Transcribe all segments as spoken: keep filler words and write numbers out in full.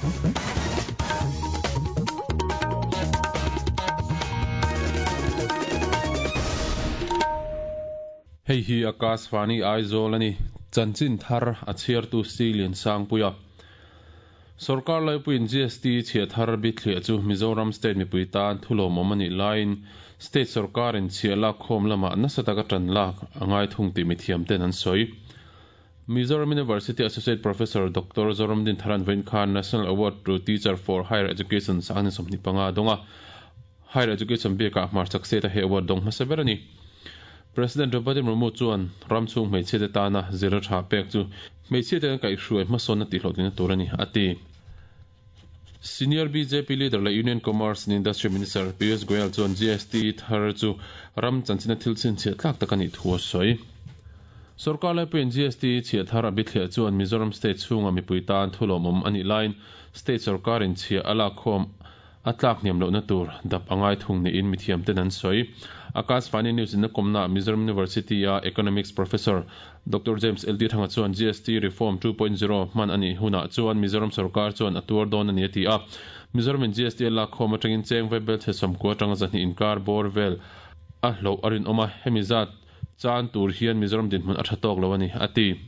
Hei hi Akashvani Aizawl ani chanchin thar a chhiartu Silian Sangpuia Sarkar laipuiin G S T chhiah thar bithliah chu Mizoram State mipui tan thulawmawm ani laiin State sarkarin chhiah lak khawm lama nasa taka tan lak angai thung ti mithiam ten an sawi. Mizoram University Associate Professor Doctor Zoramdin Tharan Vain Khan National Award to Teacher for Higher Education sang ni sawmhnih panga donga Higher Education biakah hmar chak se ta he award dong hmasa ber ani. President Draupadi Murmu chuan ramchhung hmeichhia te tana zira tha pek chu hmeichhia te kan kaihhruai hmasawnna tihhlawhtlinna tur ani a ti. Senior B J P leader la Union Commerce and Industry Minister Piyush Goyal chuan G S T thar chu ram chanchina thil chhinchhiah tlak tak ani thu a sawi. Sarkar laipuiin G S T chhiah thar a bithliah chuan Mizoram State chhunga mipui tan thulawmawm ani laiin State sarkarin chhiah a lak khawm a tlak hniam lohna tur dap angai thung niin mithiam ten an sawi. Akashvani News in na komna Mizoram University a Economics Professor Doctor James L D Thanga chuan G S T Reform two point zero hman ani huna chuan Mizoram sarkar chuan a tuar dawn ani a ti a. Mizoram in G S T lak khawm atangin cheng vaibel chhe sawmkua atanga zahnih inkar bawr vel a hlo a rinawm a hemi zat chan tur hian Mizoram dinhmun a tha tawk lo ani a ti.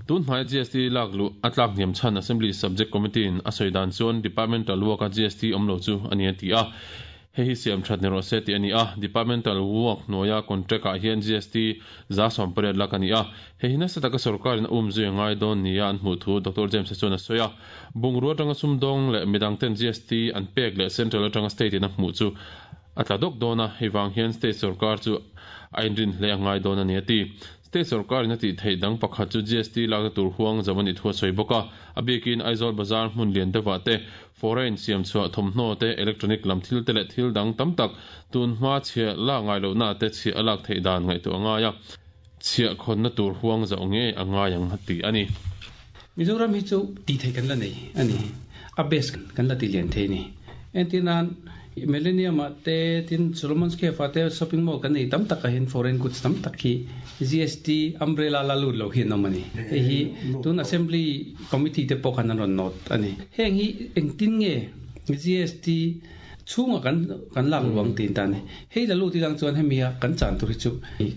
Tun hmai G S T lak lu a tlak hniam chhan Assembly Subject Committee in a sawi dan chuan Departmental work a G S T awm lo chu ani a ti a. Hei hi siam that ni rawh se ti ani a. Departmental work hnuaia contract ah hian G S T za sawm pariat lak ani a. Hei hi nasa taka sarkarin a um zui ngai dawn nia an hmuh thu Doctor James chuan a sawi a. Bungrua atanga sumdawng leh midang ten G S T an pek leh Central atanga State in a hmuh chu a tla dawk dawn a. Hei vang hian State sarkar chu a inrin hle a ngai dawn ani a ti. State sarkarin a tih theih dang pakhat chu G S T lakna tur huang zo ani thu a sawi bawk a. A bikin Aizawl Bazar hmun lian deuhah te foreign siam chhuah thawmhnaw te electronic lam thil te leh thil dang tam tak tun hma chhiah lak ngai lohna te chhiah a lak theih dan ngaihtuah angai a. Chhiah khawnna tur huang zo nge angai ang a ti ani. Mizoram hi chu ti thei kan la nei ani. A base kan la ti lian thei ni. Entinan Millennium te tin Solomon's Cafe te shopping mall kan nei tam tak a hin foreign goods tam tak hi G S T umbrella la lut lo hi an awm ani. Hei hi tun assembly committee te pawh khan an rawn note ani. Heng hi engtin nge G S T chhunga kan kan lak luang tin ta ni. Hei la lut ilang chuan hemi a kan chan tur hi chu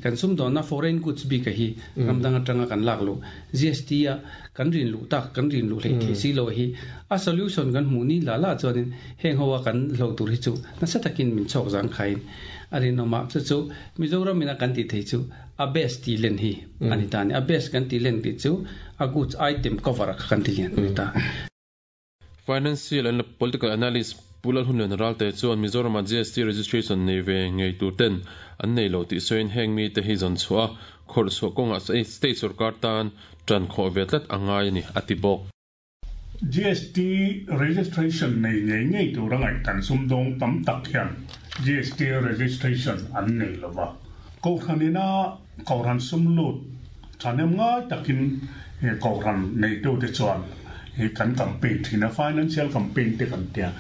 kan sum dawnna foreign goods bik a hi ramdang atanga kan lak lu G S T a kan rin lu tak kan rin lu hlei thei si lo hi a solution kan hmu ni la la chuanin heng hoa kan hlo tur hi chu nasa takin min chhawk zang khain a rinawma chu chu Mizoram ina kan ti thei chu a best ti len hi ani ta ni. A best kan ti len ti chu a goods item cover a kan ti lian ani ta. Financial and Political Analyst Pulal Hunlen Ralte chuan Mizoram G S T registration nei ve ngei tur ten an nei lo ti soin heng mi te hi zon chua khor chu konga state sarkar tan tran kho ve tlat angai ni ati bawk. G S T registration nei ngei ngei tur angai kan sumdawng tam tak hian G S T registration an nei lova. Kohhranina kohhran sumlut thanem ngai takin kohhran nei tu te chuan he kan campaign thina financial campaign te kan tia.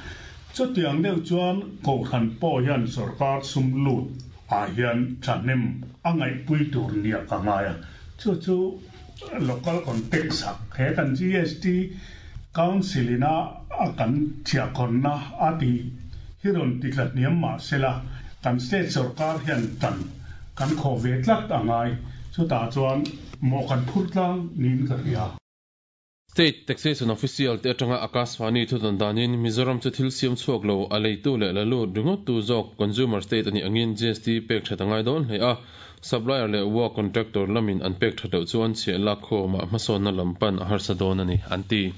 Chutiang deuh chuan kohhran pawh hian sarkar sumlut ah hian thanem angai pui tur nia ka ngai a. Chu chu local context ah he kan G S T council ina a kan chhiah khawnna a ti hi rawn ti tlat hniam mah sela kan state sarkar hian tan kan khaw ve tlat angai chutah chuan maw kan phur tlang niin ka hria. State Taxation Official te atanga Akashvani thu danin Mizoram chu thil siam chhuak lo a leitu leh la lut ringawt tu zawk consumer state ani angin G S T pek that angai dawn hle a. Supplier leh work contractor lamin an pek that loh chuan chhiah lak khawmah hmasawnna lampan a harsa dawn ani an ti.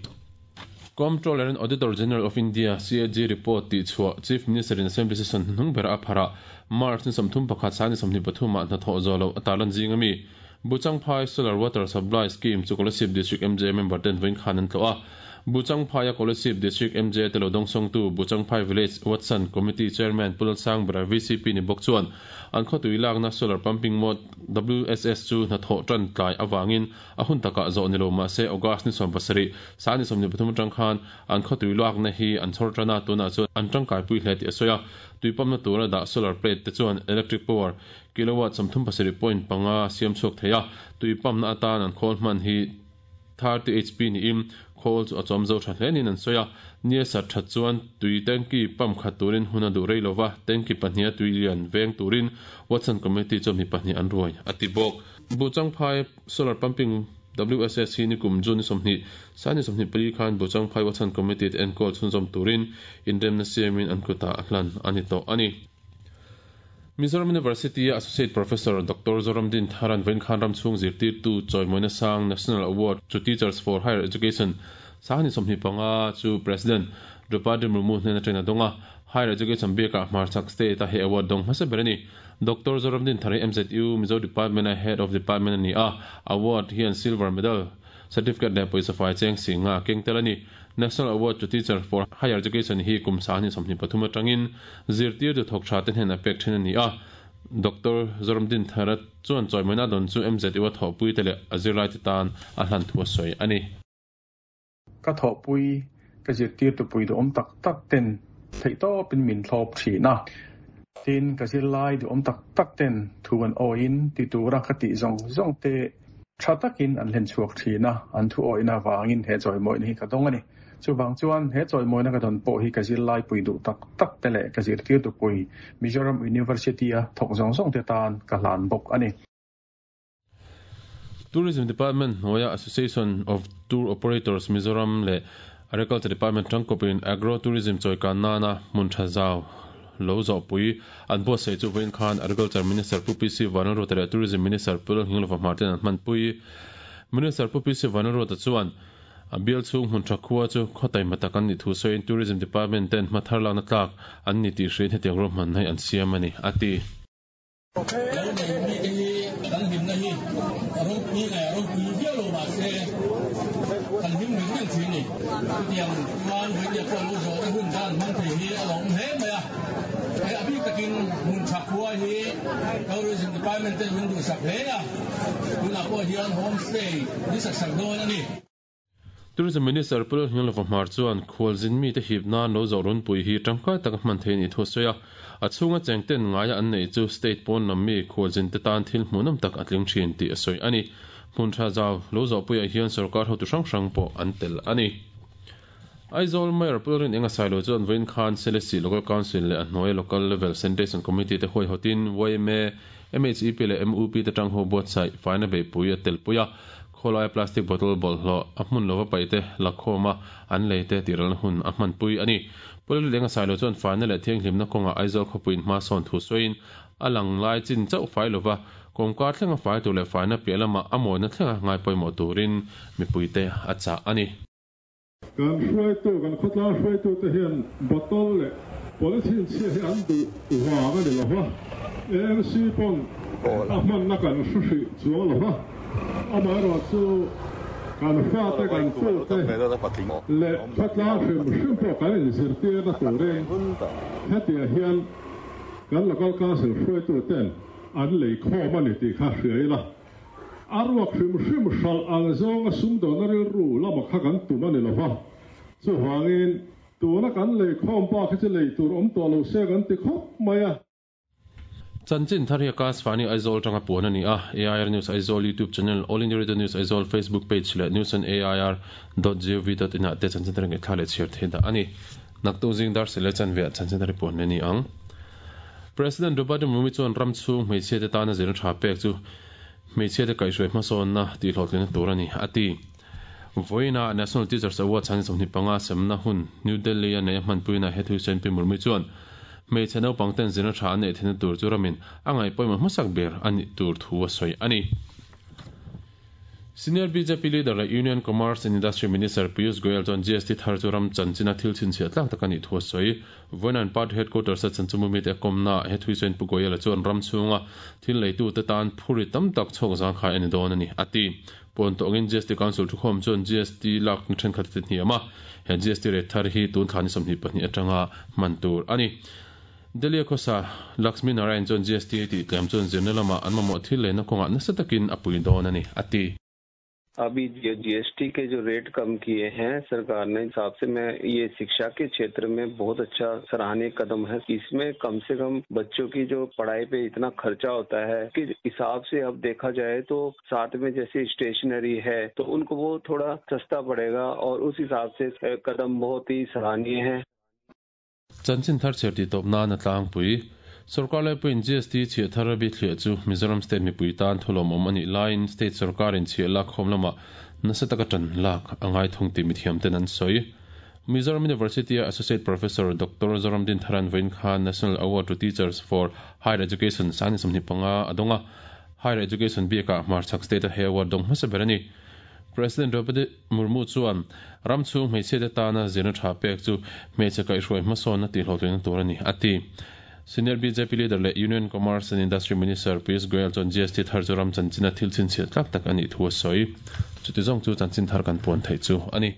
Comptroller and Auditor General of India C A G report ti chhuah Chief Minister in Assembly session hnung ber a phara March ni sawmthum pakhat sang ni sawmhnih pathumah hnathawh zawh loh a tarlan zing ami. Buchangphai Solar Water Supply Scheme chu Kolasib District M J member ten vawiin khan an tlawh a. Buchangphai a Kolasib District M J te lo dawngsawng tu Buchangphai Village Watson Committee Chairman Pulal Sangbera V C P ni bawk chuan an khawtui lakna solar pumping mode W S S chu hnathawh tan tlai awangin a hun takah zawh ni lo mah se August ni sawm pasarih sang ni sawmhnih pathum atang khan an khawtui lakna hi an chhawr tana tunah chuan an tangkai pui hle tih a sawi a. Tuipamna tura dah solar plate te chuan electric power kilowatt sawmthum pasarih point panga siam chhuak thei a. Tuipamna atan an khawl hman hi thirty H P ni im khol chu a chawm zo tha hle nin an sawi a nia sat that chuan tui tanki pump khat turin hun a duh rei lova tanki pahnih a tui lian veng turin Watson Committee chu mi pahnih an ruai ati bawk Buchangphai solar pumping W S S hi ni kum June somni sani somni pali khan Buchangphai Watson Committee en kol chhunzawm turin inremna siamin an kuta a hlan ani tawh ani. Mizoram University Associate Professor Doctor Zoramdin Tharan Venkhan Ram Chung Zirtir tu Choimoina Sang National Award to Teachers for Higher Education sani somni panga chu President Draupadi Murmu hnena traina donga Higher Education beka Hmarchhak State a he award dong hmasa ber ani. Doctor Zoramdin Thari M Z U Mizo Department Head of Department ani a award hian silver medal certificate le poisa fai cheng singa keng tel ani. National Award to Teacher for Higher Education hi kum sani somni pathum atangin zirtir tu thok tha ten hen a pek then ani a. Doctor Zoramdin Tharat chuan choimoina don chu M Z U a thawpui te leh a zirlai te tan a hlan thu a sawi ani. Ka thawpui ka zirtir tu pui du awm tak tak ten theihtawp in min thlawp thin a. Tin ka zirlai du awm tak tak ten thu an awin ti tura ka tih zawng zawng te tha takin an hlen chhuak thin a, an thu awina wangin he chawimawina hi ka dawng ani. Chu wang chuan he chawimawina ka dawn pawh hi ka zirlai pui duh tak tak te leh ka zirtir tu pui Mizoram University a thawk zawng zawng te tan ka hlan bawk ani. Tourism Department hnuaia Association of Tour Operators Mizoram leh Agriculture Department tangkawpin Agro Tourism chawikan nana hmun tha zau lo zawhpui an buatsaih chu vawiin khan Agriculture Minister Pu P C Vanlalruata leh Tourism Minister Pu Lalnghinglova Hmarten an hmanpui. Minister Pu P C Vanlalruata chuan a bial chhung hmun tha khua chu khawtai matak an ni thu sawiin Tourism Department ten hma thar lakna tlak an ni tih hriin hetiang ruahman hi an siam ani ati. Tourism Department ten min duh sak hle a, tunah pawh hian homestay ni sak sak dawn ani. Tourism Minister Pu Lalnghinglova Hmar chuan khualzin mi te hip nan lo zawh runpui hi tangkai taka hman theih ni thu sawi a, a chhunga chengten ngaia an nei chu state pawn lam mi khualzin te tan thil hmuhnawm tak a tling thin tih a sawi ani. Hmun tha zau lo zawhpuiah hian sarkar hotu hrang hrang pawh an tel ani. Aizawl Mayor Pu Lalrinenga Sailo chuan vawiin khan Selesih Local Council leh a hnuai Local Level Sanitation Committee te huai hawtin Y M A, M H E P leh M U P te tang ho buatsaih faina beihpui a tel pui a, khawlai plastic bottle bawlhhlawh a hmun lova paih te lakhawm a an lei te tiralna hun a hmanpui ani. Pu Lalrinenga Sailo chuan faina leh thianghlimna kawnga Aizawl khawpuiin hma sawn thu sawiin a lang lai chin chauh fai lova kawngka thlenga fai tur leh faina piah lamah a mawina thlenga ngai pawimawh turin mipui te a chah ani. Kan hruaitu kan khawtlang hruaitu te hian bottle leh polythene chhia hi an duh wang ani lova, A M C pawn a hmanna kan hru hrih chuang lova, amaherawh chu kan fa te kan tu te leh khawtlang hrim hrim pawh kan inzirtirna turin hetiah hian kan local council hruaitu ten an lei khawm ani tih kha hria ila. A ruak hrim hrim hral ang zawnga sumdawna rilru lama kha kan tum ani lova, chu wangin tuna kan lei khawm pa khi chu lei tur awm tawh lo se kan ti khawp mai a. Chanchin thar hi Akashvani Aizawl tanga puan ani a. A I R News Aizawl YouTube channel, All India Radio News Aizawl Facebook page leh news on A I R dot gov dot in ah te chanchin thar nge thla leh chhiar thei dah ani. Naktu zing dar sele chan ve chanchin thar puan ani ang. President Draupadi Murmu chuan ram chhung hmeichhia te tana zirna tha pek chu hmeichhia te kaihhruai hmasawnna tih hlawhtlinna tur ani ati. Vawiina National Teachers Award chhan sawmhnih panga semna hun New Delhi a nei a hmanpuina he thu sawiin Pi Murmu chuan hmeichhe naupang ten zirna tha an neih theihna tur chu ramin a ngaih pawimawh hmasak ber ani tur thu a sawi ani. Senior B J P leader leh Union Commerce and Industry Minister Piyush Goyal chuan G S T thar chu ram chanchina thil chhinchhiah tlak tak ani thu a sawi. Vawiin party headquarters a chanchumu mi te kawmna he thui sawiin Pu Goyal chuan ram chhunga thil leitu te tan phuri tam tak chhawk zang khai ani dawn ani ati. Pawn tawngin G S T Council thukhawm chuan G S T lak thenkhat te hniam a, he G S T rate thar hi tun thlani sawmhnih pahnih atanga hman tur ani. Delhi khosa Lakshmi Narayan chuan G S T ti tlem chuan zirna lama an mamawh thil leina kawnga nasa takin a pui dawn ani ati. अभी जीएसटी के जो रेट कम किए हैं सरकार ने, हिसाब से मैं ये शिक्षा के क्षेत्र में बहुत अच्छा सराहनीय कदम है। इसमें कम से कम बच्चों की जो पढ़ाई पे इतना खर्चा होता है कि हिसाब से अब देखा जाए तो साथ में जैसे स्टेशनरी है तो उनको वो थोड़ा सस्ता पड़ेगा और उस हिसाब से कदम बहुत ही सराहनीय है। Chanchin thar chhiar tih tawp nan a tlangpui. Sorkar laipuiin G S T chhiah thar a bithliah chu Mizoram State mipui tan thulawmawm a nih laiin State sorkarin chhiah lak khawm lamah nasa taka tan lak a ngai thung tih mithiam ten an sawi. Mizoram University-a Associate Professor Doctor Zoramdin Tharan vawiin khan National Award to Teachers for Higher Education sangni sawmhnih panga a dawng a, Higher Education biakah hmarchhak state-a he award dawng hmasa ber a ni. President Draupadi Murmu chuan ram chhung hmeichhia te tana zirna tha pek chu hmeichhe kaihhruai hmasawnna tihhlawhtlinna tur a ni, a ti. Senior B J P leader leh Union Commerce and Industry Minister Piyush Goyal chuan G S T thar chu ram chanchina thil chhinchhiah tlak tak a nih thu a sawi. Chuti zawng chu chanchin thar kan puan theih chu a ni.